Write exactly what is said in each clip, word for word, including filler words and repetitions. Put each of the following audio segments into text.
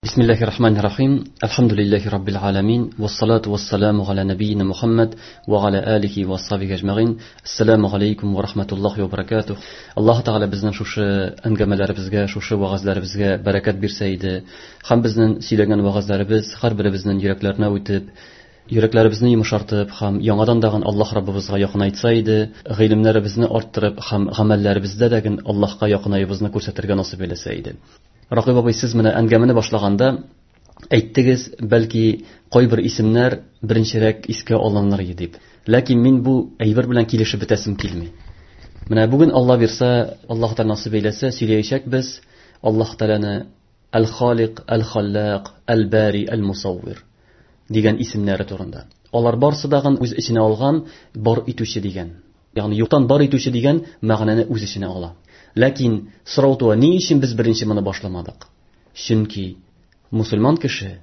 Бисмиллахир рахманир рахим. Әлхәмдүлилләһи раббил аламин. Вассалату вассаламу аля набийина Мухаммад ва аля алихи ва асхабихи ажмаин. Ассаламу алейкум ва рахматуллахи ва баракатух. Аллаһ Тәгалә безнең шушы әңгәмәләребезгә, шушы вәгазьләребезгә бәрәкәт бирсә иде. Һәм безнең сөйләгән вәгазьләребез һәрберебезнең йөрәкләренә үтеп, йөрәкләребезне йомшартып һәм яңадан дагын Аллаһ Раббыбызга якынайтса иде, гыйлемнәребезне арттырып һәм гамәлләребездә дә Аллаһка якынаюыбызны күрсәтергә насыйп әйләсә иде. Ракыйп абый, сез менә әңгәмәне башлаганда әйттегез, бәлки кайбер исемнәр беренчерәк искә алыныр иде дип. Ләкин мин бу әйбер белән килешеп бетәсем килми. Менә бүген Алла бирсә, Аллаһ Тәгалә насыйп әйләсә, сөйләячәкбез Аллаһ Тәгаләне Әл-Халик, Әл-Халлак, Әл-Бари, Әл-Мусаввир дигән исемнәре турында. Алар барсы дагын үз эченә алган бар итүче дигән, ягъни юктан бар итүче дигән мәгънәне үз эченә ала. Ләкин сорау туа, ни өчен без беренче моны башламадык? Чөнки мусульман кеше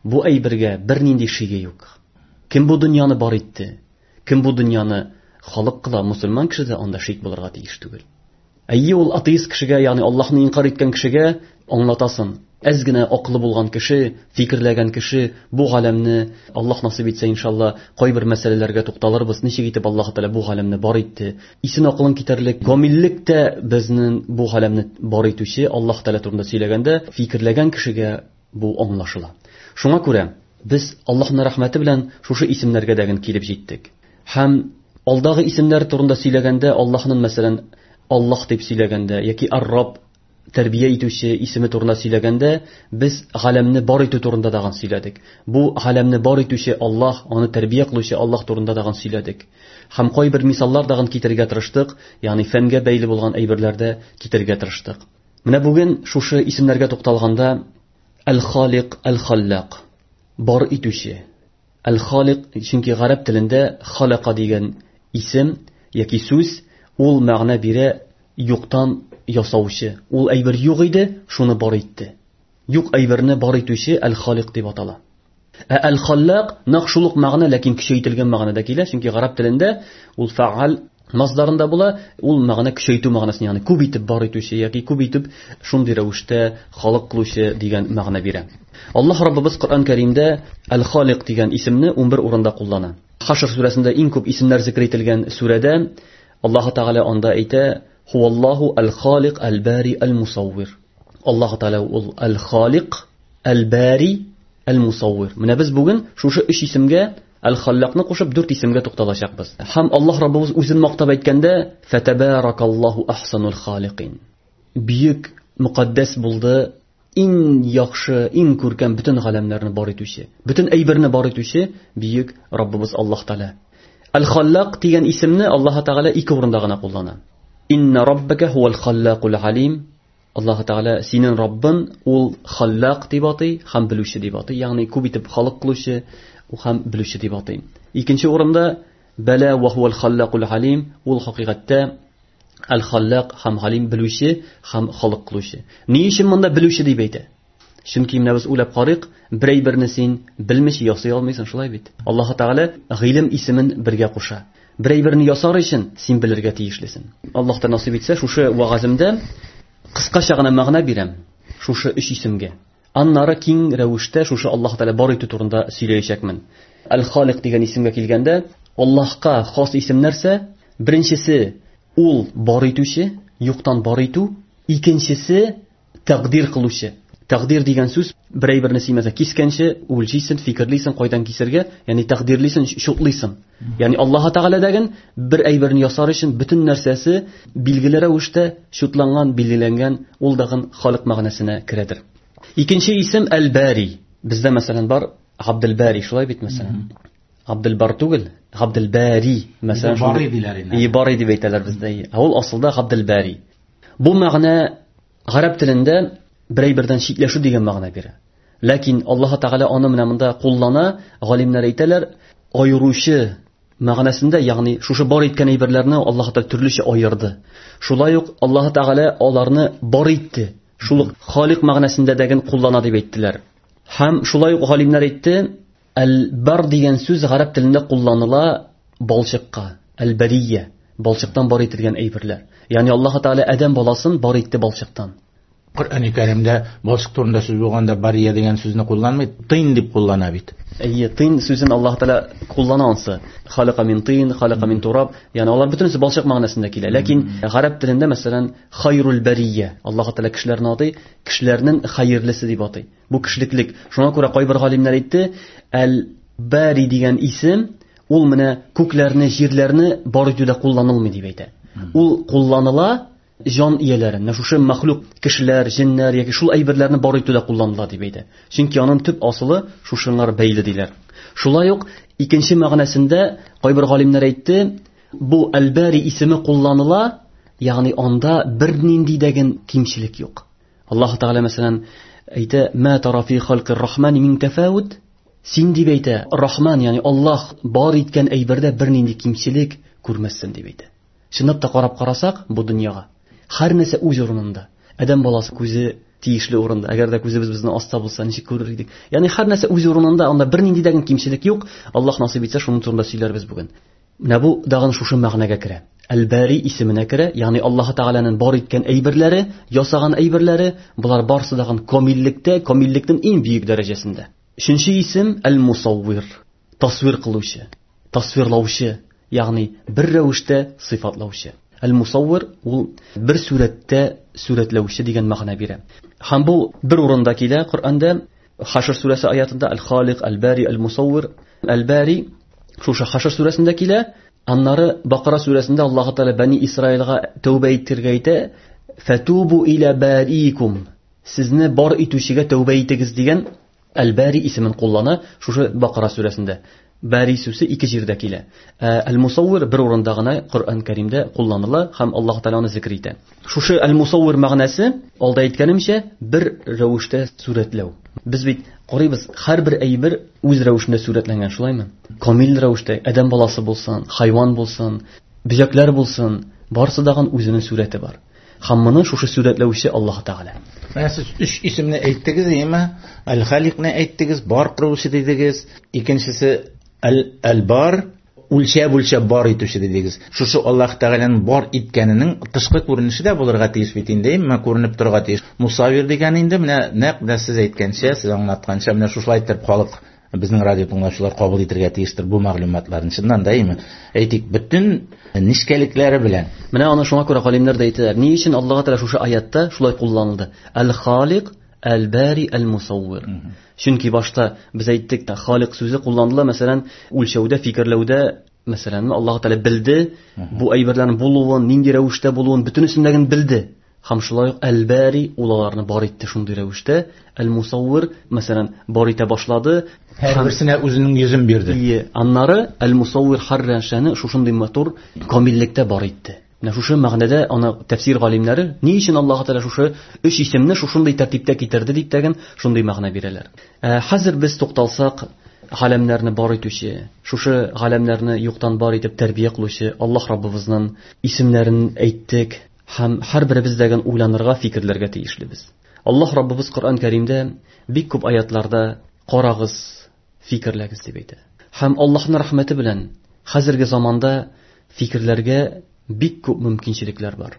бу әйбергә бернинди шиге юк. Кем бу дөньяны бар итте? Кем бу дөньяны халык кыла? Мусульман кешедә анда шик булырга тиеш түгел. Әйе, ул атеист кешегә, ягъни Аллаһны инкар иткән кешегә аңлатасың. Әз генә акылы булган кеше, фикерләгән кеше бу галәмне Аллаһ насыйп итсә, иншалла, кайбер мәсьәләләргә тукталырбыз. Ничек итеп Аллаһ Тәгалә бу галәмне бар итте? Исен акылын китәрлек гамиллек тә безнең бу галәмне бар итүче Аллаһ Тәгалә турында сөйләгәндә фикерләгән кешегә бу аңлашыла. Шуңа күрә без Аллаһның рәхмәте белән шушы исемнәргә дә килеп җиттек. Һәм алдагы исемнәр турында сөйләгәндә Аллаһның, мәсәлән, Аллаһ дип сөйләгәндә яки Ар-Рабб тәрбия итүче исеме турында сөйләгәндә без галәмне бар итү турында дагын сөйләдек. Бу галәмне бар итүче Аллаһ, аны тәрбия кылучы Аллаһ турында дагын сөйләдек. Һәм кайбер мисаллар дагын китерергә тырыштык, ягъни фәнгә бәйле булган әйберләрдә китерергә тырыштык. Менә бүген шушы исемнәргә тукталганда Әл-Халик, Әл-Халлак, бар итүче. Әл-Халик, чөнки гарәп телендә халака дигән исем яки сүз ул мәгънә бирә юктан ясаучы. Ул әйбер юк иде, шуны бар итте. Юк әйберне бар итүче Әл-Халик дип атала. Ә Әл-Халлак нәкъ шул ук мәгънә, ләкин көчәйтелгән мәгънәдә килә, чөнки гарәп телендә ул фаал маздарында була, ул мәгънә көчәйтү мәгънәсен, ягъни күп итеп бар итүче яки күп итеп шундый рәвештә халык кылучы дигән мәгънә бирә. Аллаһ Раббыбыз Коръән Кәримдә Әл-Халик дигән исемне унбер урында куллана. Хашр сүрәсендә иң күп исемнәр зикр ителгән сүрәдә Аллаһ Тәгалә анда әйтә: Хуаллаху аль-Халик аль-Бари аль-Мусаввир. Аллаһ Тәгалә ул аль-Халик, аль-Бари, аль-Мусаввир. Менә без бүген шушы өч исемгә Әл-Халлакны кушып дүрт исемгә тукталачакбыз. Һәм Аллаһ Раббыбыз үзен мактап әйткәндә: Фатабаракаллаху ахсанул халикин. Бөек, мукаддәс булды, иң яхшы, иң күркәм бөтен галәмнәрне бар итүче, бөтен әйберне бар итүче бөек Раббыбыз Аллаһ Тәгалә. Әл-Халлак дигән исемне Аллаһ Тәгалә ике урында гына куллана. Инна раббака хуал халлакул алим. Аллаһ Тәгалә синең Раббың ул халлак дип атый һәм белүче дип атый, ягъни күп итеп халык кылучы һәм белүче дип атый. Икенче урында бала ва хуал халлакул алим, ул хакыйкатьтә әл-халлак һәм галим, белүче һәм халык кылучы. Ни өчен монда белүче дип әйтә? Чөнки менә без уйлап карыйк, берәй берне син белмичә ясый алмыйсың, шулай бит. Аллаһ Тәгалә гыйлем исемен бергә куша. Берәй берне ясар өчен син белергә тиешлесең. Аллаһ та насыйп итсә, шушы вәгаземдә кыскача гына мәгънә бирәм шушы өч исемгә. Аннары киң рәвештә шушы Аллаһ Тәгалә бар итү турында сөйләячәкмен. Әл-Халик дигән исемгә килгәндә, Аллаһка хас исем нәрсә? Беренчесе ул бар итүче, юктан бар итү. Икенчесе тәкъдир кылучы. Тәкъдир дигән сүз берәй берне син мәсәлән кискәнче үлчисең, фикерлисең, кайдан кисергә, ягъни тәкъдирлисең, шутлыйсың. Ягъни Аллаһ Тәгалә дигән бер әйберне ясар өчен бөтен нәрсәсе билгеле рәвештә шутланган, билгеләнгән, ул дагын халык мәгънәсенә керәдер. Икенче исем Әл-Бари. Бездә мәсәлән бар Габделбари, шулай бит мәсәлән. Габделбар түгел, Габделбари мәсәлән. Бари диләр инде. И Бари дип әйтәләр бездә. Ә ул асылда Габделбари. Бу мәгънә гарәп телендә берәй бердән читләшү дигән мәгънә бирә. Ләкин Аллаһ Тәгалә аны менә монда куллана, галимнәр әйтәләр, аеручы мәгънәсендә, ягъни шушы бар иткән әйберләрне Аллаһ Тәгалә төрлечә аерды. Шулай ук Аллаһ Тәгалә аларны бар итте. Шул ук Халик мәгънәсендә дәген куллана дип әйттеләр. Һәм шулай ук галимнәр әйтте, әл-бар дигән сүз гарәп телендә кулланыла балчыкка, әл-бария, балчыктан бар ителгән әйберләр. Ягъни Аллаһ Тәгалә адәм баласын бар итте балчыктан. Коръәни Кәримдә балчык турында сүз булганда бария дигән сүзне кулланмый, тын дип куллана бит. Әйе, тын сүзен Аллаһ Тәгалә куллана ансы. Халака мин тын, халака мин тураб, ягъни алар бөтенесе балчык мәгънәсендә килә. Ләкин гарәп телендә, мәсәлән, хайрул бария, Аллаһ Тәгалә кешеләрне атый, кешеләрнең хәерлесе дип атый. Бу кешелеклек. Шуңа күрә кайбер галимнәр әйтте, әл-Бари дигән исем ул менә күкләрне, җирләрне бар итүдә кулланылмый дип әйтә. Ул кулланыла җан ияләре, менә шушы мәхлук, кешеләр, җеннәр яки шул әйберләрне бар итүдә кулланыла дип әйтә. Чөнки аның төп асылы шушыңар бәйле диләр. Шулай ук икенче мәгънәсендә кайбер галимнәр әйтте, бу Әл-Бари исеме кулланыла, ягъни анда бернинди дәген кимчелек юк. Аллаһ Тәгалә мәсәлән әйтә: "Ма тара фи халқир рахмани мин тафавут". Син дип әйтә, Рахман, ягъни Аллаһ бар иткән әйбердә бернинди кимчелек күрмәссең дип әйтә. Чынлап та карап карасак бу дөньяга, һәр нәрсә үз урынында. Адәм баласы күзе тиешле урында. Әгәр дә күзебез безнең аста булса, ничек күрер идек? Ягъни һәр нәрсә үз урынында, анда бернинди дә кимчелек юк. Аллаһ насыйп итсә, шуның турында сөйләрбез бүген. Менә бу дагын шушы мәгънәгә керә. Әл-Бари исеменә керә, ягъни Аллаһ Тәгаләнең бар иткән әйберләре, ясаган әйберләре, болар барсы дагын камиллектә, камиллекнең иң бөек дәрәҗәсендә. Өченче исем Әл-Мусаввир, тасвир кылучы, тасвирлаучы, ягъни бер рәвештә сыйфатлаучы. Әл-Мусаввир ул бер сүрәттә сүрәтләүче дигән мәгънә бирә. Һәм бу бер урында килә Коръәндә, Хашр сүрәсе аятында Әл-Халик, Әл-Бари, Әл-Мусаввир. Әл-Бари шушы Хашр сүрәсендә килә. Аннары Бакара сүрәсендә Аллаһ Тәгалә Бани Исраилгә тәүбә итәргә әйтә: "Фатубу иля барикум". Сезне бар итүчегә тәүбә итегез дигән Әл-Бари исемен куллана шушы Бакара сүрәсендә. Бари сүзе ике җирдә килә. Әл-Мусаввир бер урында гына Коръән Кәримдә кулланыла һәм Аллаһ Тәгалә аны зикр итә. Шушы Әл-Мусаввир мәгънәсе, алда әйткәнемчә, бер рәвештә сүрәтләү. Без бит карыйбыз, һәрбер әйбер үз рәвешендә сүрәтләнгән, шулаймы? Камил рәвештә, адәм баласы булсын, хайван булсын, бөҗәкләр булсын, барысы дагын үзенең сүрәте бар. Һәм моны шушы сүрәтләүче Аллаһ Тәгалә. Менә сез өч исемне әйттегез, әйеме? Әл-Халикны әйттегез, бар кылучы дидегез. Икенчесе Әл-Бар, үлчәп-үлчәп бар итүче дидегез. Шушы Аллаһ Тәгаләнең бар иткәненең тышкы күренеше дә булырга тиеш бит инде, әйеме? Күренеп торырга тиеш. Мусавир дигән инде менә нәкъ менә сез әйткәнчә, сез аңлатканча, менә шушылай итеп халык, безнең радио тыңлаучылар кабул итәргә тиештер бу мәгълүматларны. Чыннан да, әйеме? Әйтик, бөтен нечкәлекләре белән. Менә аны шуңа күрә галимнәр дә әйтәләр. Ни өчен Аллаһ Тәгалә шушы аятта шулай кулланылды? Әл-Халик, Әл-Бари, Әл-Мусаввир. Чөнки башта без әйттек, Халик сүзе кулланыла, мәсәлән, үлчәүдә, фикерләүдә, мәсәлән, Аллаһ Тәгалә белде бу әйберләрнең булуын, нинди рәвештә булуын, бөтенесендәген белде. Һәм шулай ук Әл-Бари ул аларны бар итте шундый рәвештә. Әл-Мусаввир, мәсәлән, бар итә башлады. Һәрберсенә үзенең йөзен бирде. Ие, аннары Әл-Мусаввир һәр нәрсәне шушындый матур камиллектә бар итте. Менә шушы мәгънәдә аны тәфсир галимнәре ни өчен Аллаһ Тәгалә шушы өч исемне шушындый тәртиптә китерде дип тәген шундый мәгънә бирәләр. Ә, хәзер без тукталсак, галәмнәрне бар итүче, шушы галәмнәрне юктан бар итеп тәрбия кылучы Аллаһ Раббыбызның исемнәрен әйттек һәм һәрберебез дәген уйланырга, фикерләргә тиешлебез. Аллаһ Раббыбыз Коръән Кәримдә бик күп аятларда карагыз, фикерләгез дип әйтә. Һәм Аллаһның рәхмәте белән хәзерге заманда фикерләргә бик күп мөмкинчелекләр бар.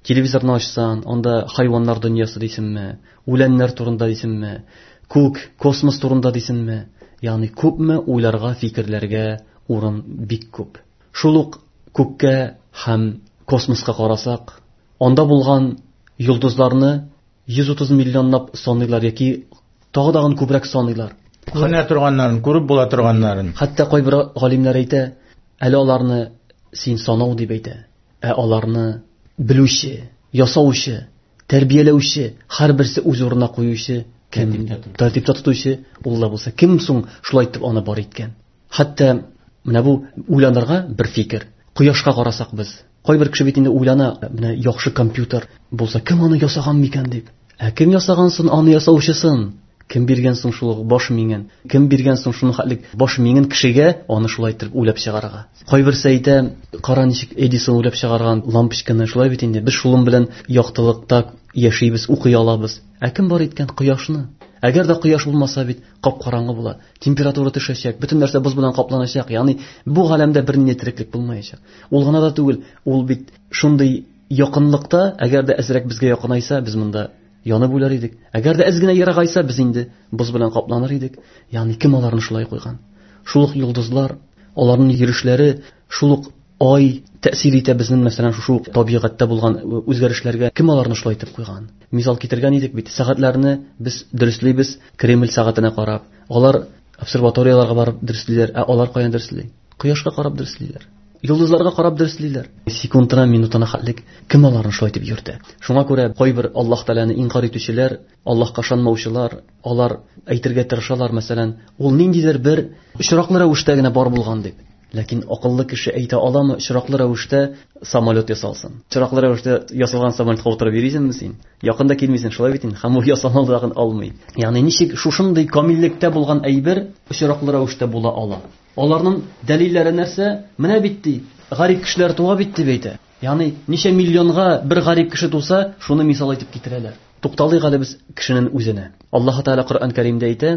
Телевизорны ачсаң, анда хайваннар дөньясы дисеңме, үләннәр турында дисеңме, күк, космос турында дисеңме, ягъни күпме уйларга, фикерләргә урын бик күп. Шул ук күккә һәм космоска карасак, анда булган йолдызларны йөз утыз миллионлап саныйлар яки тагы да күбрәк саныйлар. Күренә торганнарын, күреп була торганнарын. Хәтта кайбер галимнәр әйтә, әле аларны син санау дип әйтә, ә аларны белүче, ясаучы, тәрбияләүче, һәрберсе үз урынына куючы, кем тәртиптә тотучы, ул да булса, кем соң шулай итеп аны бар иткән? Хәтта менә бу уйланырга бер фикер. Кояшка карасак без, кайбер кеше бит инде уйлана, менә яхшы компьютер булса, кем аны ясаган микән дип. Ә кем ясаган соң аны ясаучысын? Кем биргән соң шул баш миңен? Кем биргән соң шуны хәтлек баш миңен кешегә аны шулай итеп уйлап чыгарырга? Кайберсе әйтә, кара ничек Эдисон уйлап чыгарган лампочканы, шулай бит инде. Без шулым белән яктылыкта яшибез, укый алабыз. Ә кем бар иткән кояшны? Әгәр дә кояш булмаса бит, кап-караңгы була, температура төшәчәк, бөтен нәрсә боз белән капланачак. Ягъни бу галәмдә бернинди тереклек булмаячак. Ул гына да түгел, ул бит шундый якынлыкта, әгәр дә әзрәк безгә якынайса, без монда янып үләр идек. Әгәр дә әз генә ерагайса, без инде боз белән капланыр идек. Ягъни кем аларны шулай куйган? Шул ук йолдызлар, аларның йөрешләре, шул ук ай тәэсир итә безнең, мәсәлән, шушы табигатьтә булган үзгәрешләргә. Кем аларны шулай итеп куйган? Мисал китергән идек бит, сәгатьләрне без дөреслибез Кремль сәгатенә карап. Алар обсерваторияләргә барып дөреслиләр, ә алар каян дөресли? Кояшка карап дөреслиләр. Йолдызларга карап дөреслиләр. Секундына, минутына хәтлек кем аларны шулай итеп йөртә? Шуңа күрә кайбер Аллаһ Тәгаләне инкар итүчеләр, Аллаһка ышанмаучылар, алар әйтергә тырышалар, мәсәлән, ул ниндидер бер очраклы рәвештә генә бар булган дип. Ләкин акыллы кеше әйтә аламы, очраклы рәвештә самолет ясалсын? Очраклы рәвештә ясалган самолетка утырып йөрисеңме син? Якында килмисең, шулай бит инде. Һәм ул ясалган алмый. Ягъни ничек шушындый камиллектә булган әйбер очраклы рәвештә була ала? Аларның дәлилләре нәрсә? Менә бит ди, гарип кешеләр туа бит дип әйтә. Ягъни ничә миллионга бер гарип кеше туса, шуны мисал итеп китерәләр. Тукталыйк әле без кешенең үзенә. Аллаһ Тәгалә Коръән Кәримдә әйтә: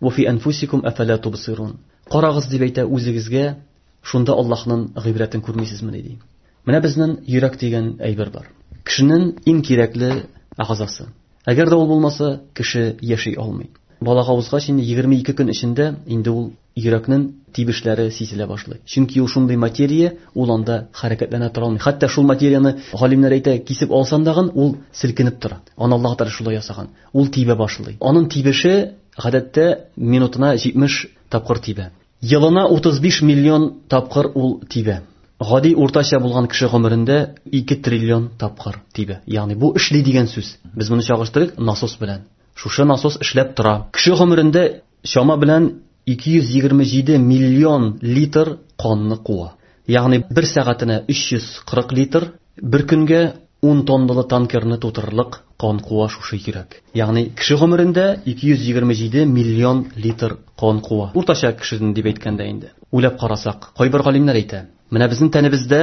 "Ва фи анфусикум афала тубсирун". Карагыз дип әйтә үзегезгә, шунда Аллаһның гыйбрәтен күрмисезме ди. Менә безнең йөрәк дигән әйбер бар. Кешенең иң кирәкле әгъзасы. Әгәр дә ул булмаса, кеше яши алмый. Балага узгач инде егерме ике көн эчендә инде ул йөрәкнең тибешләре сизелә башлый. Чөнки ул шундый материя, ул анда хәрәкәтләнә тора алмый. Хәтта шул материяне галимнәр әйтә, кисеп алсан дагын, ул селкенеп тора. Аны Аллаһ Тәгалә шулай ясаган. Ул тибә башлый. Аның тибеше гадәттә минутына җитмеш тапкыр тибә. Елына утыз биш миллион тапкыр ул тибә. Гади уртача булган кеше гомерендә ике триллион тапкыр тибә. Ягъни бу эшли дигән сүз. Без моны чагыштырыйк насос белән. Шушы насос эшләп тора. Кеше гомерендә чама белән ике йөз егерме җиде миллион литр канны куа. Ягъни бер сәгатенә өч йөз кырык литр, бер көнгә ун тонналы танкерны тутырырлык кан куа шушы йөрәк. Ягъни кеше гомерендә ике йөз егерме җиде миллион литр кан куа. Уртача кешенең дип әйткәндә инде. Уйлап карасак, кайбер галимнәр әйтә, менә безнең тәнебездә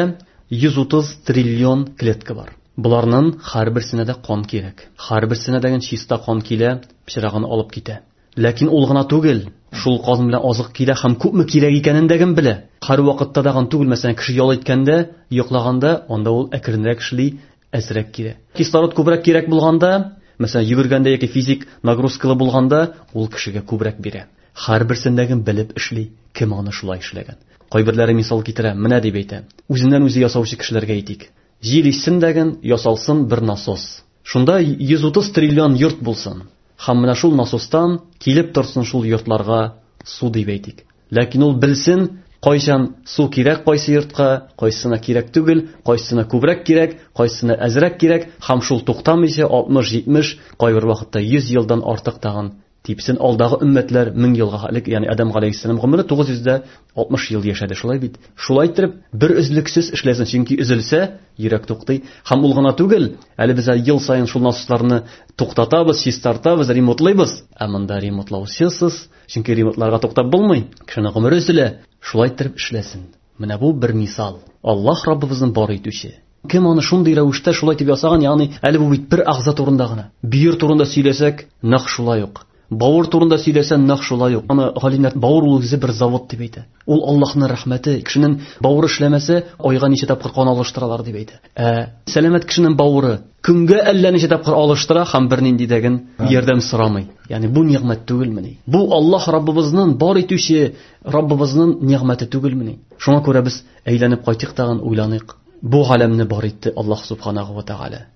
йөз утыз триллион клетка бар. Буларның һәрберсенә дә кан кирәк. Һәрберсенә дә чиста кан килә, пычрагын алып китә. Ләкин ул гына түгел, шул кан белән азык килә һәм күпме кирәк икәнен дә кем белә. Һәр вакытта да гын түгел, мәсәлән, кеше ял иткәндә, йоклаганда, анда ул әкренрәк эшли, әзрәк килә. Кислород күбрәк кирәк булганда, мәсәлән, йөгергәндә яки физик нагрузкалы булганда, ул кешегә күбрәк бирә. Һәрберсендәген белеп эшли, кем аны шулай эшләгән. Кайберләре мисал китерә, менә дип әйтә. Үзеннән үзе ясаучы кешеләргә әйтик. Җил иссен дәген, ясалсын бер насос. Шунда йөз утыз триллион йорт булсын. Һәм менә шул насостан килеп торсын шул йортларга су дип әйтик. Ләкин ул белсен, кайчан су кирәк кайсы йортка, кайсына кирәк түгел, кайсына күбрәк кирәк, кайсына әзрәк кирәк, һәм шул туктамыйча алтмыш, җитмеш, кайбер вакытта йөз елдан артык тагын типсен. Алдагы өммәтләр мең елга хәлек, ягъни Адам галәйһиссәлам гомере тугыз йөз дә алтмыш ел яшәде, шулай бит. Шулай итеп бер өзлексез эшләсен, чөнки өзелсә йөрәк туктый. Һәм ул гына түгел, әле без ел саен шул насосларны туктатабыз, чистартабыз, ремонтлыйбыз. Ә монда ремонтлаучысыз, чөнки ремонтларга туктап булмый, кешенең гомере өзелә. Шулай итеп эшләсен. Менә бу бер мисал. Аллаһ Раббыбызның бар итүче. Кем аны шундый рәвештә шулай итеп ясаган, ягъни әле бу бит бер әгъза турында гына. Бөер турында сөйләсәк, нәкъ шулай ук. Бавыр турында сөйләсәң, нәкъ шулай ук. Аны галимнәр бавыр ул үзе бер завод дип әйтә. Ул Аллаһның рәхмәте. Кешенең бавыры эшләмәсә, айга ничә тапкыр кан алыштыралар дип әйтә. Ә сәламәт кешенең бавыры көнгә әллә ничә тапкыр алыштыра һәм бернинди дәген ярдәм сорамый. Ягъни бу нигъмәт түгелмени? Бу Аллаһ Раббыбызның бар итүче Раббыбызның нигъмәте түгелмени? Шуңа күрә без әйләнеп кайтыйк тагын, уйланыйк. Бу галәмне бар итте Аллаһ субханаху ва тааля.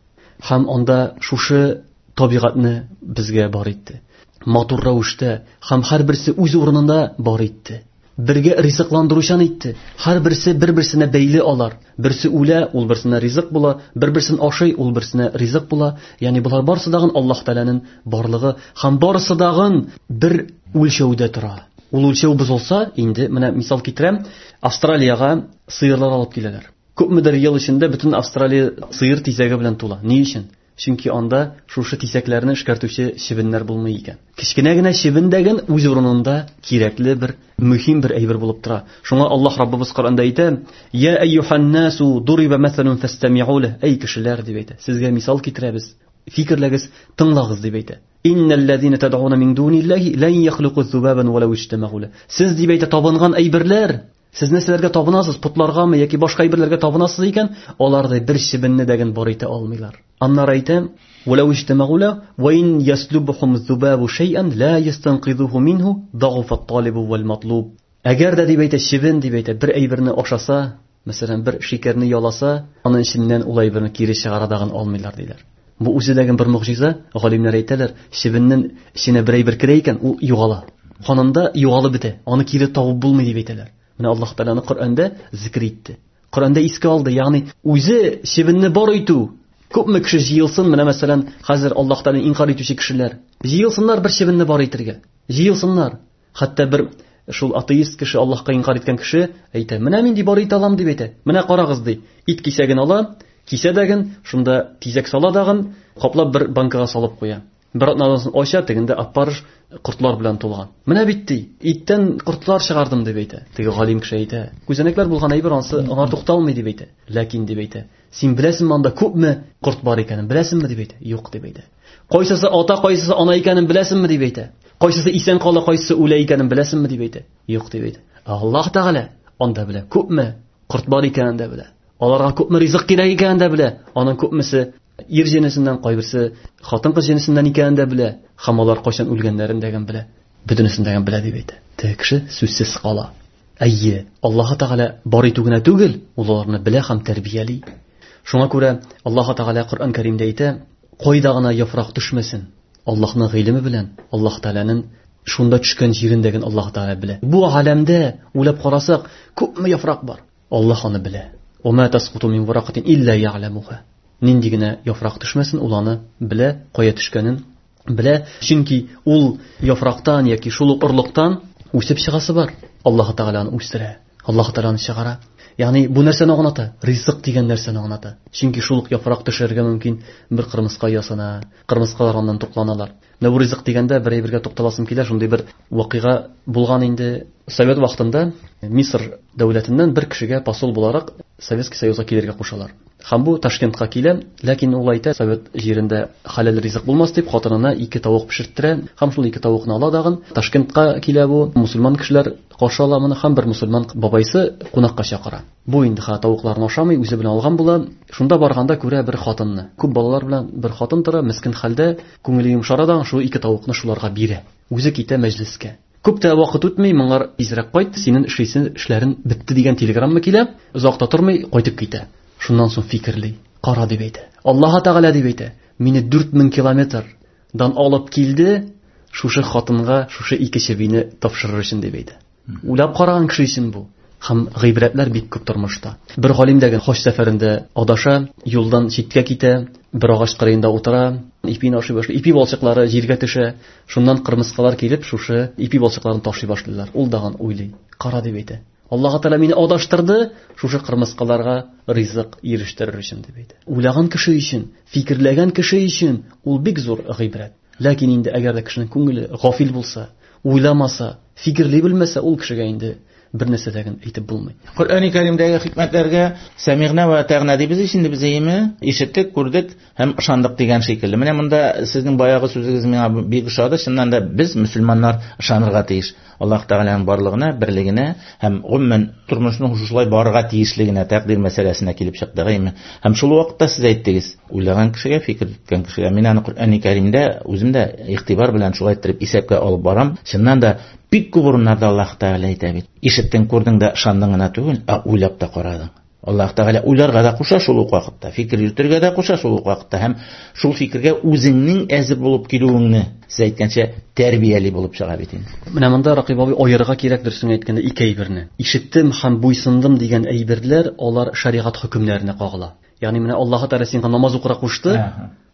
Һәм анда шушы табигатьне безгә бар итте. Матур рәвештә һәм һәрберсе үз урынында бар итте. Бергә ризыкландыручан итте. Һәрберсе бер-берсенә бәйле алар. Берсе үлә, ул берсенә ризык була, бер-берсен ашый, ул берсенә ризык була. Ягъни булар барысы дагын Аллаһ Тәгаләнең барлыгы һәм барысы дагын бер үлчәүдә тора. Ул үлчәү бозылса, инде менә мисал китерәм, Австралиягә сыерлар алып киләләр. Күпмедер ел эчендә бөтен Австралия сыер тизәге белән тула. Ни өчен? Чөнки анда шушы тизәкләрне эшкәртүче чебеннәр булмый икән. Кечкенә генә чебен дәген үз урынында кирәкле бер, мөһим бер әйбер булып тора. Шуңа Аллаһ Раббыбыз Коръәндә әйтә: Я әйюһан насу дуриба мәсәлун фәстәми'у лаһ. Әй кешеләр дип әйтә. Сезгә мисал китерәбез. Фикерләгез, тыңлагыз дип әйтә. Иннәлләзина тад'уна мин дуниллаһи лан яхлуку зубабан валау иҗтамау лаһ. Сез дип әйтә табынган әйберләр, сез нәрсәләргә табынасыз, потларгамы яки башка әйберләргә табынасыз икән, алар да бер чебенне дәген бар итә алмыйлар. Аннары әйтә: ولو اجتمعوا له وإن يسلبهم الذباب شيئا لا يستنقذوه منه ضعف الطالب والمطلوب. Әгәр дә дип әйтә, чебен дип әйтә, бер әйберне ашаса, мәсәлән, бер шикәрне яласа, аның эченнән ул әйберне кире чыгара дагын алмыйлар диләр. Бу үзе дә бер могҗиза, галимнәр әйтәләр, чебеннең эченә бер әйбер керә икән, ул югала. Канында югалып бетә, аны кире табып булмый дип әйтәләр. Менә Аллаһ Тәгаләне Коръәндә зикр итте. Коръәндә искә алды, ягъни үзе чебенне бар итү. Күпме кеше җыелсын, менә мәсәлән, хәзер Аллаһ Тәгаләне инкар итүче кешеләр җыелсыннар бер чебенне бар итергә. Җыелсыннар. Хәтта бер шул атеист кеше, Аллаһка инкар иткән кеше әйтә, менә мин ди бар итә алам дип әйтә. Менә карагыз ди, ит кисәген ала, кисә дәген, шунда тизәк сала дагын, каплап бер банкага салып куя. Бер атнадан соң ача, тегендә аппарыш кортлар белән тулган. Менә бит ди, иттән кортлар чыгардым дип әйтә. Теге галим кеше әйтә, күзәнәкләр булган әйбер ансы аңа тукталмый дип әйтә. Ләкин дип әйтә, син беләсеңме анда күпме корт бар икәнен, беләсеңме дип әйтә. Юк дип әйтә. Кайсысы ата, кайсысы ана икәнен беләсеңме дип әйтә. Кайсысы исән кала, кайсысы үлә икәнен беләсеңме дип әйтә. Юк дип әйтә. Аллаһ Тәгалә анда белә, күпме корт бар икәнен дә белә. Аларга күпме ризык кирәк икәнен дә белә. Аның күпмесе ир җенесеннән, кайберсе хатын-кыз җенесеннән икәнен дә белә. Һәм алар кайчан үлгәннәрен дә белә. Бөтенесен дә белә дип әйтә. Теге кеше сүзсез кала. Әйе, Аллаһ Тәгалә бар итү генә түгел, ул аларны белә һәм тәрбияли. Шуңа күрә Аллаһ Тәгалә Коръән Кәримдә әйтә, кайда гына яфрак төшмәсен, Аллаһның гыйлеме белән, Аллаһ Тәгаләнең шунда төшкән җирендәген Аллаһ Тәгалә белә. Бу галәмдә уйлап карасак, күпме яфрак бар. Аллаһ аны белә. Ва тасқуту мин варақатин илля я'ламуха. Нинди генә яфрак төшмәсен, ул аны белә, кая төшкәнен белә. Чөнки ул яфрактан яки шул ук орлыктан үсеп чыгасы бар. Аллаһ Тәгалә аны үстерә, Аллаһ Тәгалә аны чыгара. Ягъни бу нәрсәне аңлата? Ризык дигән нәрсәне аңлата. Чөнки шул ук яфрак төшәргә мөмкин, бер кырмыска ясана, кырмыскалар аннан тукланалар. Менә бу ризык дигәндә бер әйбергә тукталасым килә, шундый бер вакыйга булган инде. Совет вакытында Мисыр дәүләтеннән бер кешегә посол буларак Советский Союзга килергә кушалар. Һәм бу Ташкентка килә, ләкин ул әйтә, Совет җирендә хәләл ризык булмас дип, хатынына ике тавык пешерттерә, һәм шул ике тавыкны ала дагын Ташкентка килә бу. Мусульман кешеләр каршы ала моны, һәм бер мусульман бабайсы кунакка чакыра. Бу инде ха тавыкларны ашамый, үзе белән алган була. Шунда барганда күрә бер хатынны. Күп балалар белән бер хатын тора, мискин хәлдә, күңеле йомшара да, шул ике тавыкны шуларга бирә. Үзе китә мәҗлескә. Күп тә вакыт үтми, моңар тизрәк кайт, синең эшлисен эшләрен бетте дигән телеграмма килә, озак та тормый, кайтып китә. Шуннан соң фикерли, кара дип әйтә. Аллаһ Тәгалә дип әйтә, мине дүрт мең километрдан алып килде, шушы хатынга шушы ике чебине тапшырыр өчен дип әйтә. Уйлап караган кеше өчен бу. Һәм гыйбрәтләр бик күп тормышта. Бер галим дәген хаҗ сәфәрендә адаша, юлдан читкә китә, бер агач кырыенда утыра, ипине ашый башлый, ипи балчыклары җиргә төшә. Шуннан кырмыскалар килеп, шушы ипи балчыкларын ташый башлыйлар. Ул дагын уйлый, кара дип әйтә. Аллаһ Тәгалә мине адаштырды, шушы кырмыскаларга ризык ирештерер өчен дип әйтә. Уйлаган кеше өчен, фикерләгән кеше өчен ул бик зур гыйбрәт. Ләкин инде әгәр дә кешенең күңеле гафил булса, уйламаса, фикерли белмәсә, ул кешегә инде бер нәрсә дә әйтеп булмый. Коръәни Кәримдәге хикмәтләргә сәмигънә вә атәгънә дибез инде без, әйеме? Ишеттек, күрдек һәм ышандык дигән шикелле. Менә монда сезнең баягы сүзегез миңа бик ошады. Чыннан да без мөселманнар ышанырга тиеш Аллаһ Тәгаләнең барлыгына, берлегенә һәм гомумән тормышның шушылай барырга тиешлегенә, тәкъдир мәсьәләсенә килеп чыктык, әйеме? Һәм шул вакытта сез әйттегез, уйлаган кешегә, фикер иткән кешегә, мин аны Коръәни Кәримдә үзем дә игътибар белән шулай иттереп исәпкә алып барам. Чыннан да бик күп урыннарда Аллаһ Тәгалә әйтә бит. Ишеттең, күрдең дә ышандың гына түгел, ә уйлап та карадың. Аллаһ Тәгалә уйларга да куша шул ук вакытта, фикер йөртергә дә куша шул ук вакытта һәм шул фикергә үзеңнең әзер булып килүеңне, сез әйткәнчә, тәрбияли булып чыга бит инде. Менә монда Ракыйп абый аерырга кирәк, дөресен әйткәндә, ике әйберне. Ишеттем һәм буйсындым дигән әйберләр алар шәригать хөкемнәренә кагыла. Ягъни менә Аллаһ Тәгалә сиңа намаз укырга кушты,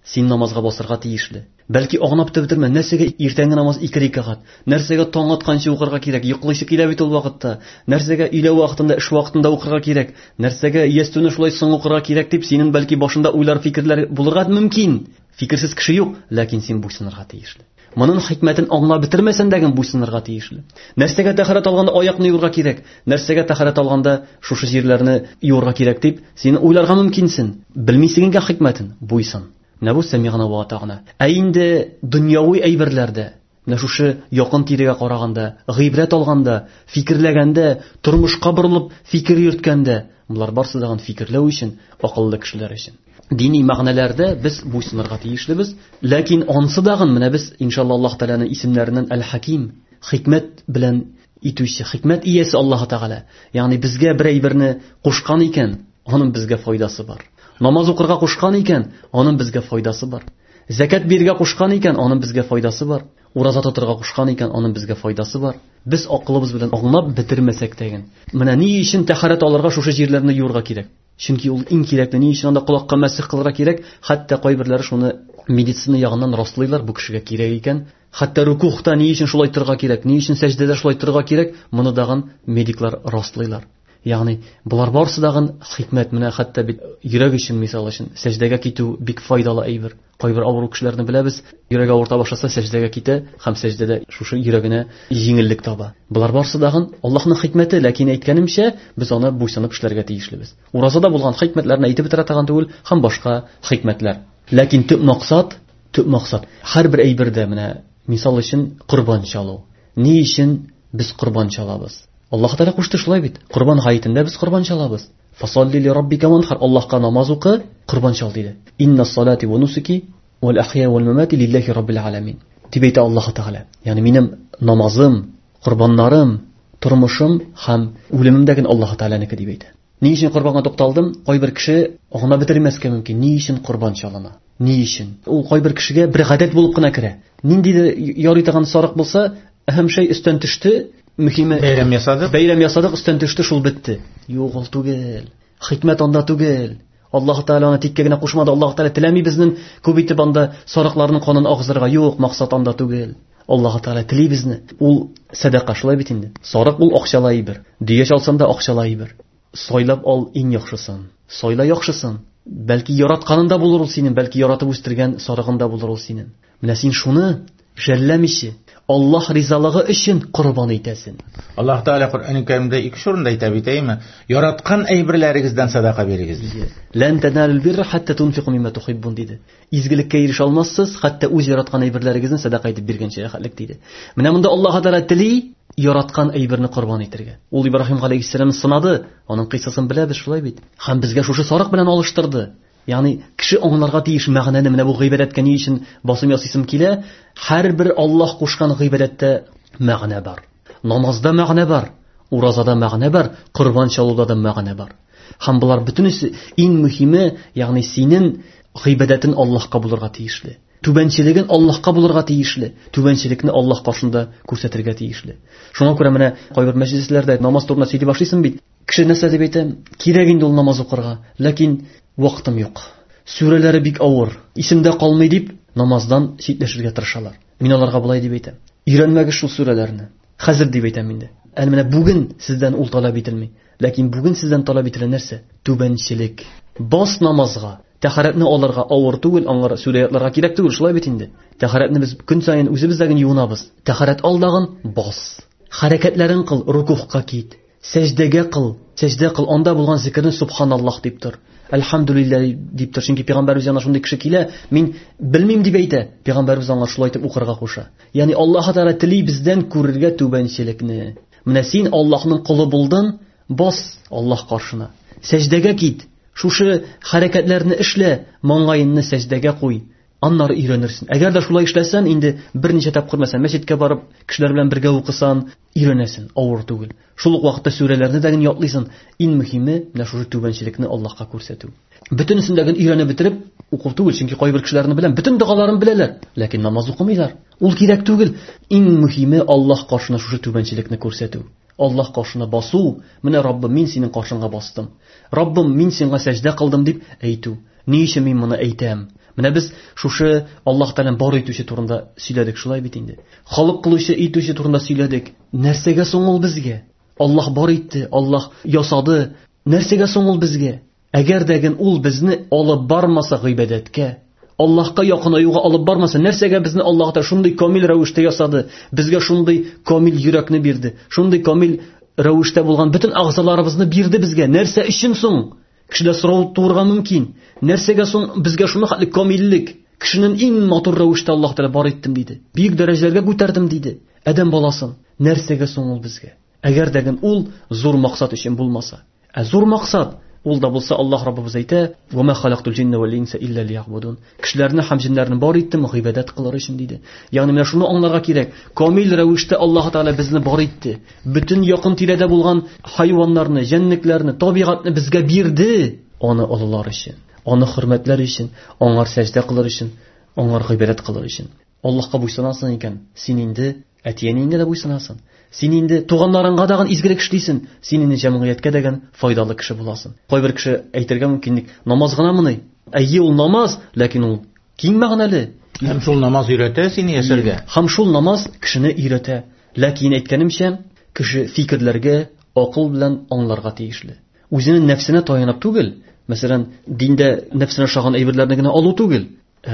син намазга басырга тиешле. Бәлки аңлап та бетермә, нәрсәгә иртәнге намаз ике рәкәгать, нәрсәгә таң атканчы укырга кирәк, йоклыйсы килә бит ул вакытта, нәрсәгә өйлә вакытында, эш вакытында укырга кирәк, нәрсәгә ястүне шулай соң укырга кирәк дип синең бәлки башында уйлар, фикерләр булырга мөмкин. Фикерсез кеше юк, ләкин син буйсынырга тиешле. Моның хикмәтен аңлап бетермәсәң дә буйсынырга тиешле. Нәрсәгә тәһарәт алганда аякны юырга кирәк, нәрсәгә тәһарәт алганда шушы җирләрне юырга кирәк дип син уйларга мөмкинсең. Белмисең инде хикмәтен, буйсын. Менә бу сәмигъна ва атагъна. Ә инде дөньяви әйберләрдә, менә шушы якын тирәгә караганда, гыйбрәт алганда, фикерләгәндә, тормышка борылып фикер йөрткәндә, Булар барсы дагын фикерләү өчен, акыллы кешеләр өчен. Дини мәгънәләрдә без буйсынырга тиешлебез, ләкин ансы дагын менә без иншалла Аллаһ Тәгаләнең исемнәреннән Әл-Хаким, хикмәт белән итүче, хикмәт иясе Аллаһ Тәгалә. Ягъни безгә бер әйберне кушкан икән, аның безгә файдасы бар. Намаз укырга кушкан икән, аның безгә файдасы бар. Зәкят бирергә кушкан икән, аның безгә файдасы бар. Ураза тотырга кушкан икән, аның безгә файдасы бар. Без акылыбыз белән аңлап бетермәсәк тәген. Менә ни өчен тәһарәт алырга шушы җирләрне юырга кирәк? Чөнки ул иң кирәкле. Ни өчен анда колакка мәсех кылырга кирәк? Хәтта кайберләре шуны медицина ягыннан раслыйлар, бу кешегә кирәк икән. Хәтта рукухта ни өчен шулай торырга кирәк? Ни өчен сәҗдәдә шулай торырга кирәк? Моны дагын медиклар раслыйлар. Ягъни булар барысы дагын хикмәт. Менә хәтта бит йөрәк өчен, мисал өчен, сәҗдәгә китү бик файдалы әйбер. Кайбер авыру кешеләрне беләбез, йөрәге авырта башласа сәҗдәгә китә һәм сәҗдәдә шушы йөрәгенә җиңеллек таба. Булар барысы дагын Аллаһның хикмәте, ләкин әйткәнемчә, без аны буйсынып эшләргә тиешлебез. Уразада булган хикмәтләрне әйтеп бетерә торган түгел, һәм башка хикмәтләр. Ләкин төп максат, төп максат һәрбер әйбердә, менә мисал өчен корбан чалу. Ни өчен без корбан чалабыз? Аллаһ Тәгалә кушты шулай бит. Корбан гаетендә без корбан чалабыз. Фасалли ли раббика ванхар. Аллаһка намаз укы, корбан чал диде. Инна салати ва нусуки вал ахья вал мамати лиллахи раббил аламин. Дип әйтә Аллаһ Тәгалә. Ягъни минем намазым, корбаннарым, тормышым һәм үлемем дә Аллаһ Тәгаләнеке дип әйтә. Ни өчен корбанга тукталдым? Кайбер кеше аңлап бетермәскә мөмкин. Ни өчен корбан чалына? Ни өчен? Ул кайбер кешегә бер гадәт булып кына керә. Ниндидер ярый торган сарык булса, һәм шәй өстән төште, мөһиме бәйрәм ясадык. Бәйрәм ясадык, өстән төште, шул бетте. Юк, ул түгел. Хикмәт анда түгел. Аллаһ Тәгалә аны тиккә генә кушмады. Аллаһ Тәгалә теләми безнең күп итеп анда сарыкларның канын агызырга. Юк, максат анда түгел. Аллаһ Тәгалә тели безне. Ул сәдака шулай бит инде. Сарык ул акчалы әйбер. Дөя чалсаң да акчалы әйбер. Сайлап ал иң яхшысын. Сайла яхшысын. Бәлки яратканында булыр ул синең, бәлки яратып үстергән сарыгында булыр ул синең. Менә син шуны жәлләмичә Аллаһ ризалыгы өчен корбан итәсең. Аллаһ Тәгалә Коръән Кәримдә ике урында әйтә бит, әйме? Яраткан әйберләрегездән садака бирегез диде. Лән таналул бирра хатта тунфику мимма тухиббун диде. Изгелеккә ирешә алмассыз, хәтта үз яраткан әйберләрегезне садака итеп биргәнчә рәхәтлек диде. Менә монда Аллаһ Тәгалә тели яраткан әйберне корбан итәргә. Ул Ибраһим галәйһиссәламны сынады, аның кыйссасын беләбез шулай бит. Һәм безгә шушы сарык белән алыштырды. Ягъни кеше аңларга тиеш мәгънәне. Менә бу гыйбадәткә ни өчен басым ясыйсым килә? Һәрбер Аллаһ кушкан гыйбадәттә мәгънә бар. Намазда мәгънә бар, уразада мәгънә бар, корбан чалуда да мәгънә бар. Һәм булар бөтенесе иң мөһиме, ягъни синең гыйбадәтең Аллаһка булырга тиешле. Түбәнчелеген Аллаһка булырга тиешле. Түбәнчелекне Аллаһ каршында күрсәтергә тиешле. Шуңа күрә менә кайбер мәҗлесләрдә намаз турында сөйли башлыйсың бит. Кеше нәрсә дип әйтә? Кирәк инде ул намаз укырга, ләкин вакытым юк. Сүрәләре бик авыр, исемдә калмый дип намаздан читләшергә тырышалар. Мин аларга болай дип әйтәм: өйрәнмәгез шул сүрәләрне. Хәзер дип әйтәм инде. Әле менә бүген сездән ул таләп ителми. Ләкин бүген сездән таләп ителә нәрсә? Түбәнчелек. Бас намазга, тәһарәтне алырга авыр түгел, аңар сүрә ятларга кирәк түгел, шулай бит инде. Тәһарәтне без көн саен үзебез дә юынабыз. Тәһарәт ал дагын бас. Хәрәкәтләрен кыл, рукухка кит. Сәҗдәгә кыл, сәҗдә кыл, анда булган зикерне субханаллаһ дип тор. Әлхәмдүлилләһ дип тор. Чөнки пәйгамбәребез янына шундый кеше килә, мин белмим дип әйтә. Пәйгамбәребез аңа шулай итеп укырга куша. Ягъни Аллаһ Тәгалә тели бездән күрергә түбәнчелекне. Менә син Аллаһның колы булдың, бас Аллаһ каршына. Сәҗдәгә кит. Шушы хәрәкәтләрне эшлә, маңгаеңны сәҗдәгә куй. Аннары өйрәнерсең. Әгәр дә шулай эшләсәң, инде берничә тапкыр мәсәлән мәчеткә барып, кешеләр белән бергә укысан, өйрәнәсең, авыр түгел. Шул ук вакытта сүрәләрне дә ятлыйсың. Иң мөһиме менә шушы түбәнчелекне Аллаһка күрсәтү. Бөтенесен дә өйрәнеп бетереп уку түгел, чөнки кайбер кешеләрне беләм, бөтен догаларын беләләр, ләкин намаз укымыйлар. Ул кирәк түгел. Иң мөһиме Аллаһ каршына шушы түбәнчелекне күрсәтү. Аллаһ каршына басу, менә Раббым, мин синең каршыңа бастым. Раббым, мин сиңа сәҗдә кылдым дип әйтү. Ни өчен мин моны әйтәм? Менә без шушы Аллаһ Тәгалә бар итүче турында сөйләдек, шулай бит инде. Халык кылучы итүче турында сөйләдек. Нәрсәгә соң ул безгә? Аллаһ бар итте, Аллаһ ясады. Нәрсәгә соң ул безгә? Әгәр дә ген ул безне алып бармаса гыйбадәткә, Аллаһка якынаюга алып бармаса, нәрсәгә безне Аллаһ Тәгалә шундый камил рәвештә ясады, безгә шундый камил йөрәкне бирде, шундый камил рәвештә булган бөтен агзаларыбызны бирде безгә. Нәрсә өчен соң? Кешедә сорау туырга мөмкин. Нәрсәгә соң безгә шуны хәтле камиллек? Кешенең иң матур рәвештә Аллаһ Тәгалә бар иттем диде. Бөек дәрәҗәләргә күтәрдем диде. Адәм баласын. Нәрсәгә соң ул безгә? Әгәр дә ген ул зур максат өчен булмаса. Ә зур максат ул да булса Аллаһ Раббыбыз әйтә: "Ва ма халактул җинна вал инса илля лиябудун". Кешеләрне һәм җиннәрне бар иттем гыйбадәт кылыр өчен диде. Ягъни менә шуны аңларга кирәк. Камил рәвештә Аллаһ Тәгалә безне бар итте. Бөтен якын тирәдә булган хайваннарны, җәнлекләрне, табигатьне безгә бирде. Аны олылар өчен, аны хөрмәтләр өчен, аңар сәҗдә кылыр өчен, аңар гыйбадәт кылыр өчен. Аллаһка буйсынасың икән, син инде әти-әниеңә дә буйсынасың. Син инде туганнарыңа дагын изгелек эшлисең, син инде җәмгыятькә дәгән файдалы кеше буласың. Кайбер кеше әйтергә мөмкинлек, намаз гынамыни? Әйе, ул намаз, ләкин ул киң мәгънәле. Һәм шул намаз өйрәтә сине яшәргә. Һәм шул намаз кешене өйрәтә. Ләкин әйткәнемчә, кеше фикерләргә, акыл белән аңларга тиешле. Үзенең нәфсенә таянып түгел, мәсәлән, диндә нәфсенә ошаган әйберләрне генә алу түгел.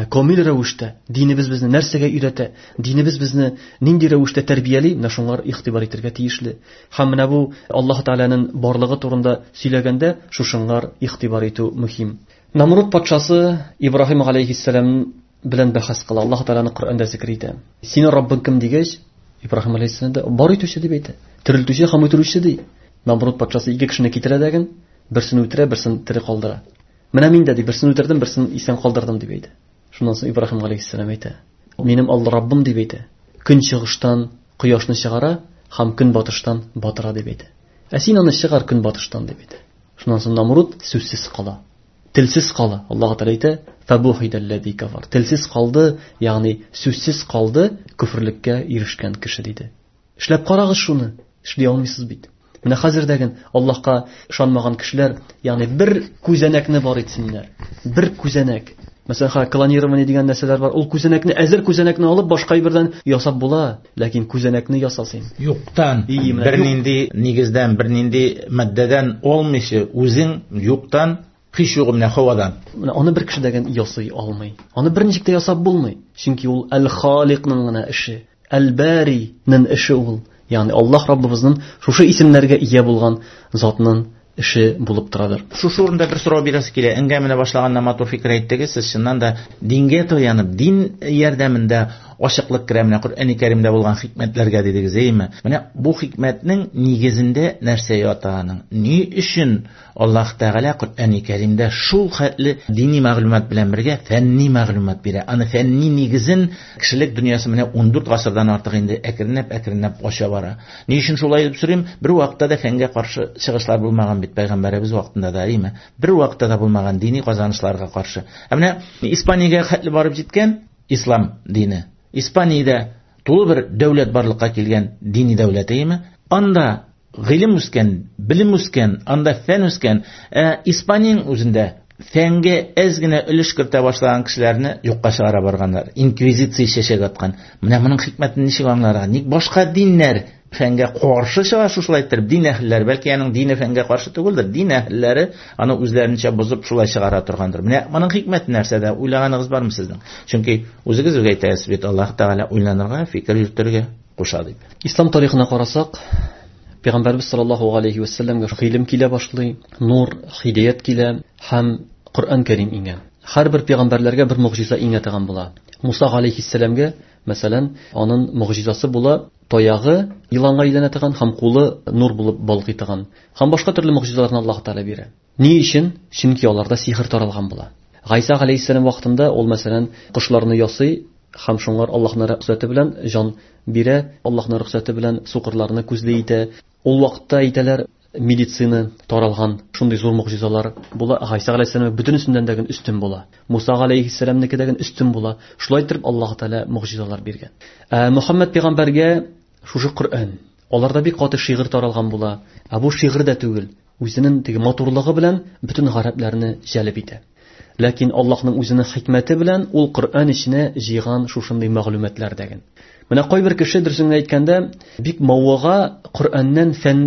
Камил рәвештә динебез безне нәрсәгә өйрәтә, динебез безне нинди рәвештә тәрбияли, менә шуңар игътибар итәргә тиешле. Һәм менә бу Аллаһ Тәгаләнең барлыгы турында сөйләгәндә шушыңар игътибар итү мөһим. Намруд патшасы Ибраһим алейһиссәлам белән бәхәс кыла. Аллаһ Тәгаләне Коръәндә зикр итә. Синең Раббың кем дигәч, Ибраһим алейһиссәлам да бар итүче дип әйтә. Терелтүче һәм үтерүче ди. Намруд патшасы ике кешене китерә дәген, берсен үтерә, берсен тере калдыра. Менә мин дә ди, берсен үтердем, берсен исән калдырдым дип әйтә. Шуннан соң Ибраһим алейһиссәлам әйтә: "Минем Алла Раббым дип әйтә. Көн чыгыштан кояшны чыгара һәм көн батыштан батыра дип әйтә. Ә син аны чыгар көн батыштан дип әйтә." Шуннан соң Намруд сүзсез кала. Телсез кала. Аллаһ Тәгалә әйтә: "Фабухидаллази кафар". Телсез калды, ягъни сүзсез калды күферлеккә ирешкән кеше диде. Эшләп карагыз шуны, эшли алмыйсыз бит. Менә хәзердәген Аллаһка ышанмаган кешеләр, ягъни бер күзәнәкне бар итсеннәр. Бер күзәнәк. Мәсәлән, клонирование дигән нәрсәләр бар. Ул күзәнәкне, әзер күзәнәкне алып башка бердән ясап була, ләкин күзәнәкне ясасың. Юктан, бернинди нигездән, бернинди матдәдән алмыйча, үзең юктан, һич югы менә һавадан. Менә аны бер кеше дәген ясый алмый. Аны берничек тә ясап булмый. Чөнки ул Әл-Халикның гына эше, Әл-Бариның эше ул. Ягъни Аллаһ Раббыбызның шушы исемнәргә ия булган затның эше булып торадыр. Шушы урында бер сорау бирәсе килә. Әңгәмәне башлаганда матур фикер әйттегез. Сез чыннан да дингә таянып, дин ярдәмендә ачыклык керә, менә Коръәни Кәримдә булган хикмәтләргә дидегез, әйеме? Менә бу хикмәтнең нигезендә нәрсә ята аның? Ни өчен Аллаһ Тәгалә Коръәни Кәримдә шул хәтле дини мәгълүмат белән бергә фәнни мәгълүмат бирә? Аны фәнни нигезен кешелек дөньясы менә ундүрт гасырдан артык инде әкренләп-әкренләп ача бара. Ни өчен шулай дип сорыйм? Бер вакытта да фәнгә каршы чыгышлар булмаган бит пәйгамбәребез вакытында да, әйеме? Бер вакытта да булмаган дини казанышларга каршы. Ә менә Испаниягә хәтле барып җиткән ислам дине. Испаниядә тулы бер дәүләт барлыкка килгән, дини дәүләт, әйеме? Анда гыйлем үскән, белем үскән, анда фән үскән. Ә Испаниянең үзендә фәнгә әз генә өлеш кертә башлаган кешеләрне юкка чыгара барганнар. Инквизиция чәчәк аткан. Менә моның хикмәтен ничек аңларга? Ник башка диннәр фәнгә каршы чыга шушылай итеп? Дин әһелләре, бәлки аның дине фәнгә каршы түгелдер, дин әһелләре аны үзләренчә бозып шулай чыгара торгандыр. Менә моның хикмәте нәрсәдә? Уйлаганыгыз бармы сезнең? Чөнки үзегез үк әйтәсез бит, Аллаһ Тәгалә уйланырга, фикер йөртергә куша дип. Ислам тарихына карасак, Пәйгамбәрбез саллаллаһу алейхи ва сәлләмгә гыйлем килә башлый, нур, һидаят килә һәм Коръән Кәрим иңә. Һәрбер пәйгамбәрләргә бер мөгъҗиза иңә торган була. Муса алейхиссәламгә, мәсәлән, аның мөгъҗизасы була, таягы еланга әйләнә торган һәм кулы нур булып балкый торган. Һәм башка төрле мөгъҗизаларны Аллаһ Тәгалә бирә. Ни өчен? Чөнки аларда сихер таралган була. Гайса алейхиссәлам вакытында ул, мәсәлән, кошларны ясый һәм шуңар Аллаһның рөхсәте белән җан бирә, Аллаһның рөхсәте белән сукырларны күзле итә. Ул вакытта әйтәләр, медицина таралган, шундый зур мөгъҗизалар була. Гайса алейхиссәлам бөтенесеннән дә өстен була. Муса алейхиссәламнеке дә өстен була. Шулай итеп Аллаһ Тәгалә мөгъҗизалар биргән. Ә Мөхәммәд пәйгамбәргә шушы Коръән. Аларда бик каты шигырь таралган була. Ә бу шигырь дә түгел, үзенең теге матурлыгы белән бөтен гарәпләрне җәлеп итә. Ләкин Аллаһның үзенең хикмәте белән ул Коръән эченә җыйган шушындый мәгълүматлар дәген. Менә кайбер кеше дөресен әйткәндә бик мавыга Коръәннән фән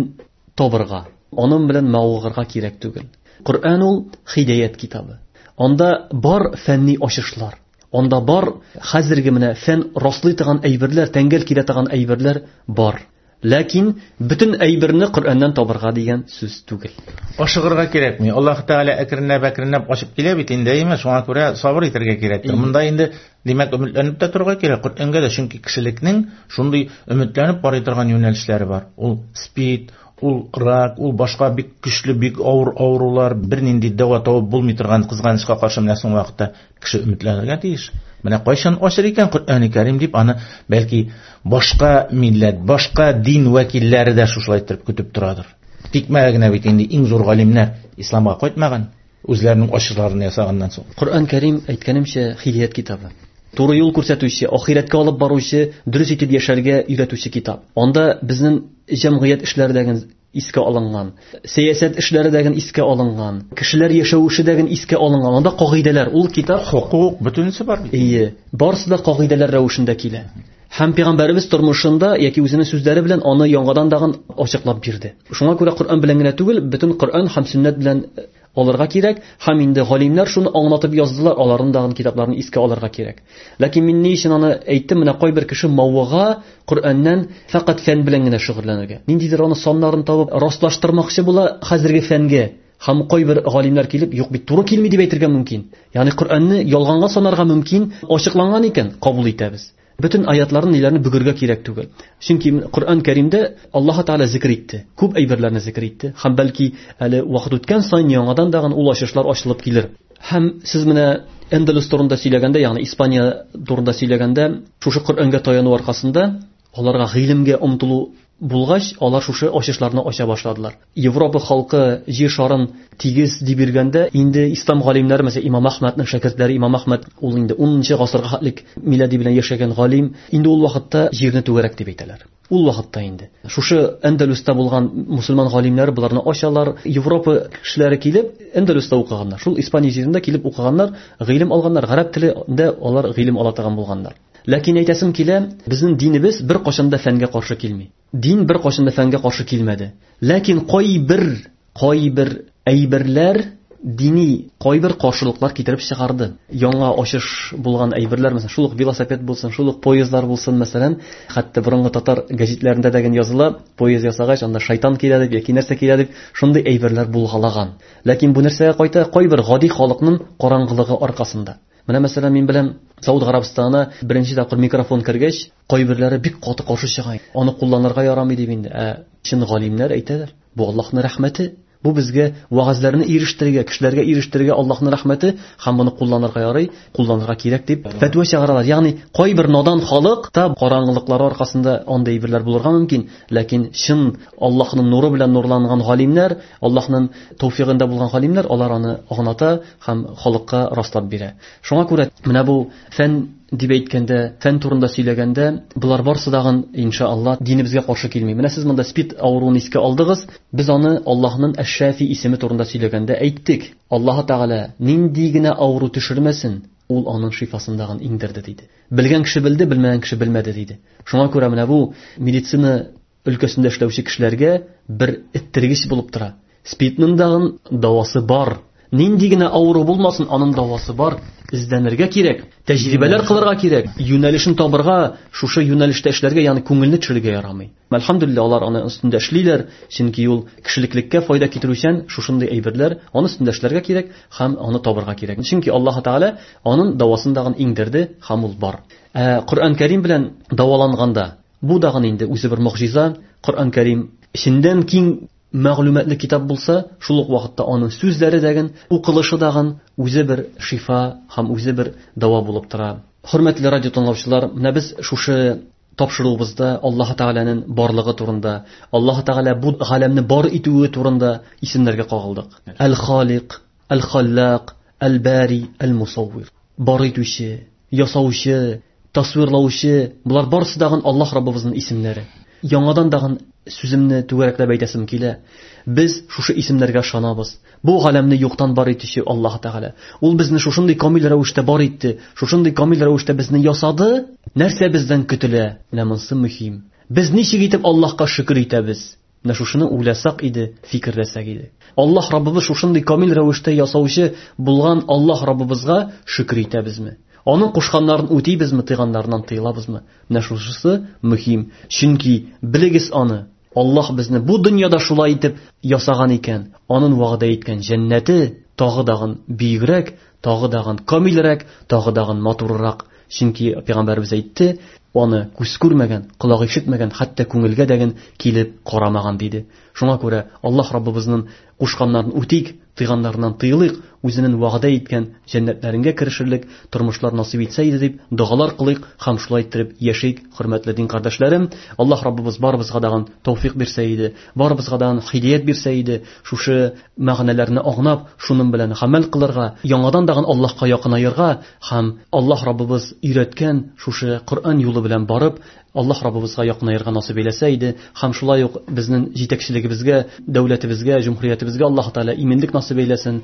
табырга, аның белән мавыгырга кирәк түгел. Коръән ул һидаят китабы. Анда бар фәнни ачышлар, анда бар хәзерге менә фән раслый торган әйберләр, тәңгәл килә торган әйберләр бар. Ләкин бөтен әйберне Коръәннән табырга дигән сүз түгел. Ашыгырга кирәкми. Аллаһ Тәгалә әкренләп-әкренләп ачып килә бит инде, әйме? Шуңа күрә сабыр итәргә кирәктер. Монда инде, димәк, өметләнеп тә торырга кирәк Коръәнгә дә, чөнки кешелекнең шундый өметләнеп карый торган юнәлешләре бар. Ул СПИД, Ул рак, ул башка бик көчле, бик авыр авырулар, бернинди дәва табып булмый торган кызганычка каршы менә соңгы вакытта кеше өметләнергә тиеш. Менә кайчан ачыр икән Коръән-и Кәрим дип, аны бәлки башка милләт, башка дин вәкилләре дә шушылай итеп көтеп торадыр. Тикмәгә генә бит инде иң зур галимнәр исламга кайтмаган, үзләренең ачышларын ясаганнан соң. Коръән Кәрим, әйткәнемчә, һидәят китабы. Туры юл күрсәтүче, ахирәткә алып баручы, дөрес итеп яшәргә өйрәтүче китап. Анда безнең җәмгыять эшләре дәген искә алынган, сәясәт эшләре дәген искә алынган, кешеләр яшәү эше дәген искә алынган. Анда кагыйдәләр, ул китап хукук бөтенесе бар бит. Ие, барысы да кагыйдәләр рәвешендә килә. Һәм пәйгамбәребез тормышында яки үзенең сүзләре белән аны яңадан дагын ачыклап бирде. Шуңа күрә Коръән белән генә түгел, бөтен Коръән һәм сөннәт белән алырга кирәк, һәм инде галимнәр шуны аңлатып яздылар, аларның дагын китапларын искә алырга кирәк. Ләкин мин ни өчен аны әйттем? Менә кайбер кеше мавыга Коръәннән фәкать фән белән генә шөгыльләнергә. Ниндидер аны саннарын табып раслаштырмакчы була хәзерге фәнгә. Һәм кайбер галимнәр килеп, юк бит, туры килми дип әйтергә мөмкин. Ягъни Коръәнне ялганга санарга мөмкин, ачыкланган икән, кабул итәбез. Бөтен аятларын ниләрне бөгергә кирәк түгел. Чөнки Коръән Кәримдә Аллаһ Тәгалә зикр итте, күп әйберләрне зикр итте. Һәм бәлки әле вакыт үткән саен яңадан дагын ул ачышлар ачылып килер. Һәм сез менә Эндалус турында сөйләгәндә, ягъни Испания турында сөйләгәндә, шушы Коръәнгә таяну аркасында аларга гыйлемгә омтылу булгач, алар шушы ачышларны ача башладылар. Европа халкы җир шарын тигез дип йөргәндә, инде ислам галимнәре, мәсәлән, Имам Ахмадның шәкертләре, Имам Ахмад ул инде унынчы гасырга хәтлек милади белән яшәгән галим, инде ул вакытта җирне түгәрәк дип әйтәләр. Ул вакытта инде шушы Эндалуста булган мусульман галимнәре буларны ачалар. Европа кешеләре килеп Эндалуста укыганнар. Шул Испания җирендә килеп укыганнар, гыйлем алганнар, гарәп телендә алар гыйлем ала торган булганнар. Ләкин әйтәсем килә, безнең динебез бер кашан да фәнгә каршы килми. Дин бер кашан да фәнгә каршы килмәде. Ләкин кайбер, кайбер әйберләр дини кайбер каршылыклар китереп чыгарды. Яңа ачыш булган әйберләр, мәсәлән, шул ук велосипед булсын, шул ук поездлар булсын, мәсәлән, хәтта борынгы татар гәзитләрендә дә языла, поезд ясагач, анда шайтан килә дип яки нәрсә килә дип, шундый әйберләр булгалаган. Ләкин бу нәрсәгә кайта кайбер гади халыкның караңгылыгы аркасында. Менә мәсәлән, мин беләм, Сауд Гарәбстанына беренче тапкыр микрофон кергәч, кайберләре бик каты каршы чыга. Аны кулланырга ярамый дип инде. Ә чын галимнәр әйтәләр, бу Аллаһның рәхмәте. Бу безгә вәгазьләрне ирештерергә, кешеләргә ирештерергә Аллаһның рәхмәте һәм моны кулланырга ярый, кулланырга кирәк дип фәтва чыгаралар. Ягъни кайбер надан халык та караңгылыклары аркасында андый әйберләр булырга мөмкин, ләкин чын Аллаһның нуры белән нурланган галимнәр, Аллаһның тәүфигында булган галимнәр алар аны аңлата һәм халыкка раслап бирә. Шуңа күрә менә бу фән дип әйткәндә, фән турында сөйләгәндә, булар барсы дагын иншаалла динебезгә каршы килми. Менә сез монда спид авыруын искә алдыгыз. Без аны Аллаһның Әш-Шафи исеме турында сөйләгәндә әйттек. Аллаһ Тәгалә нинди генә авыру төшермәсен, ул аның шифасын дагын иңдерде диде. Белгән кеше белде, белмәгән кеше белмәде диде. Шуңа күрә менә бу медицина өлкәсендә эшләүче кешеләргә бер эттергеч булып тора. Спидның дагын дәвасы бар. Нинди генә авыру булмасын, аның дәвасы бар. Эзләнергә кирәк, тәҗрибәләр кылырга кирәк, юнәлешен табырга, шушы юнәлештә эшләргә, ягъни күңелне төшерергә ярамый. Әлхәмдүлилләһ, алар аны өстендә эшлиләр, чөнки ул кешелеклеккә файда китерүчән шушындый әйберләр, аны өстендә эшләргә кирәк һәм аны табырга кирәк. Чөнки Аллаһ Тәгалә аның дәвасын дагын иңдерде һәм ул бар. Ә Коръән Кәрим белән дәваланганда, бу дагын инде үзе бер могҗиза. Коръән Кәрим эченнән киң мәгълүматлы китап булса, шул ук вакытта аның сүзләре дәген, укылышы дагын үзе бер шифа һәм үзе бер дәва булып тора. Хөрмәтле радио тыңлаучылар, менә без шушы тапшыруыбызда Аллаһ Тәгаләнең барлыгы турында, Аллаһ Тәгалә бу галәмне бар итүе турында исемнәргә кагылдык. Әл-Халик, Әл-Халлак, Әл-Бари, Әл-Мусаввир. Бар итүче, ясаучы, тасвирлаучы, булар барысы дагын Аллаһ Раббыбызның исемнәре. Яңадан дагын сүземне түгәрәкләп әйтәсем килә. Без шушы исемнәргә ышанабыз. Бу галәмне юктан бар итүче Аллаһ Тәгалә. Ул безне шушындый камил рәвештә бар итте, шушындый камил рәвештә безне ясады. Нәрсә бездән көтелә? Менә монысы мөһим. Без ничек итеп Аллаһка шөкер итәбез? Менә шушыны уйласак иде, фикерләсәк иде. Аллаһ Раббыбыз шушындый камил рәвештә ясаучы булган Аллаһ Раббыбызга шөкер итәбезме? Аның кушканнарын үтибезме, тыйганнарыннан тыелабызмы? Менә шушысы мөһим. Чөнки белегез аны, Аллаһ безне бу дөньяда шулай итеп ясаган икән, аның вәгъдә иткән җәннәте тагы дагын бөегрәк, тагы дагын камилрәк, тагы дагын матуррак. Чөнки пәйгамбәребез әйтте, аны күз күрмәгән, колак ишетмәгән, хәтта күңелгә дәген килеп карамаган диде. Шуңа күрә Аллаһ Раббыбызның кушканнарын үтик, тыйганнарыннан тыелыйк, үзенең вәгъдә иткән җәннәтләренә керешерлек тормышлар насыйп итсә иде дип догалар кылыйк һәм шулай иттереп яшик, хөрмәтле дин кардәшләрем. Аллаһ Раббыбыз барыбызга дагын тәүфик бирсә иде, барыбызга дагын һидәят бирсә иде, шушы мәгънәләрне аңлап, шуның белән гамәл кылырга, яңадан дагын Аллаһка якынаерга һәм Аллаһ Раббыбыз өйрәткән шушы Коръән юлы белән барып, Аллаһ Раббыбызга якынаерга насыйп әйләсә иде. Һәм шулай ук безнең җитәкчелегебезгә, дәүләтебезгә, җөмһүриятебезгә Аллаһ Тәгалә иминлек насыйп әйләсен.